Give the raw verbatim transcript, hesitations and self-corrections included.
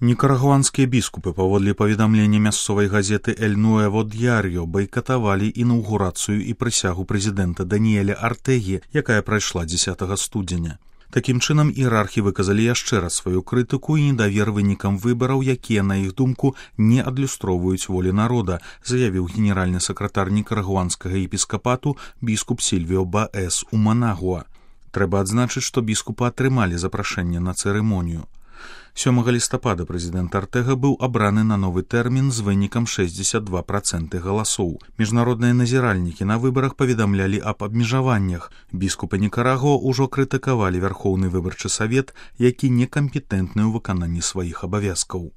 Никарагуанскія біскупы, паводле паведамлення мясцовай газеты «Эль Нуэво Дьярьо», байкатавалі інаўгурацыю і прысягу прэзідэнта Даніэля Артегі, якая прайшла дзесятага студзеня. Такім чынам, іерархі выказалі яшчэ раз сваю крытыку і недавер вынікам выбараў, якія, на іх думку, не адлюстроўваюць волі народа, заявіў генеральны сакратар никарагуанскага епіскапату біскуп Сільвіо Баэс у Манагуа. Трэба адзначыць, што біскупы атрымалі запрашэнне на цырымонію. сёмага лістапада прэзідэнт Артэга быў абраны на новы тэрмін з вынікам шэсцьдзесят два працэнты галасоў. Міжнародныя назіральнікі на выбарах паведамлялі аб абмежаваннях. Біскупы Никарагуа ўжо крытыкавалі Вярхоўны выбарчы савет, які некампетэнтны ў выкананні сваіх абавязкаў.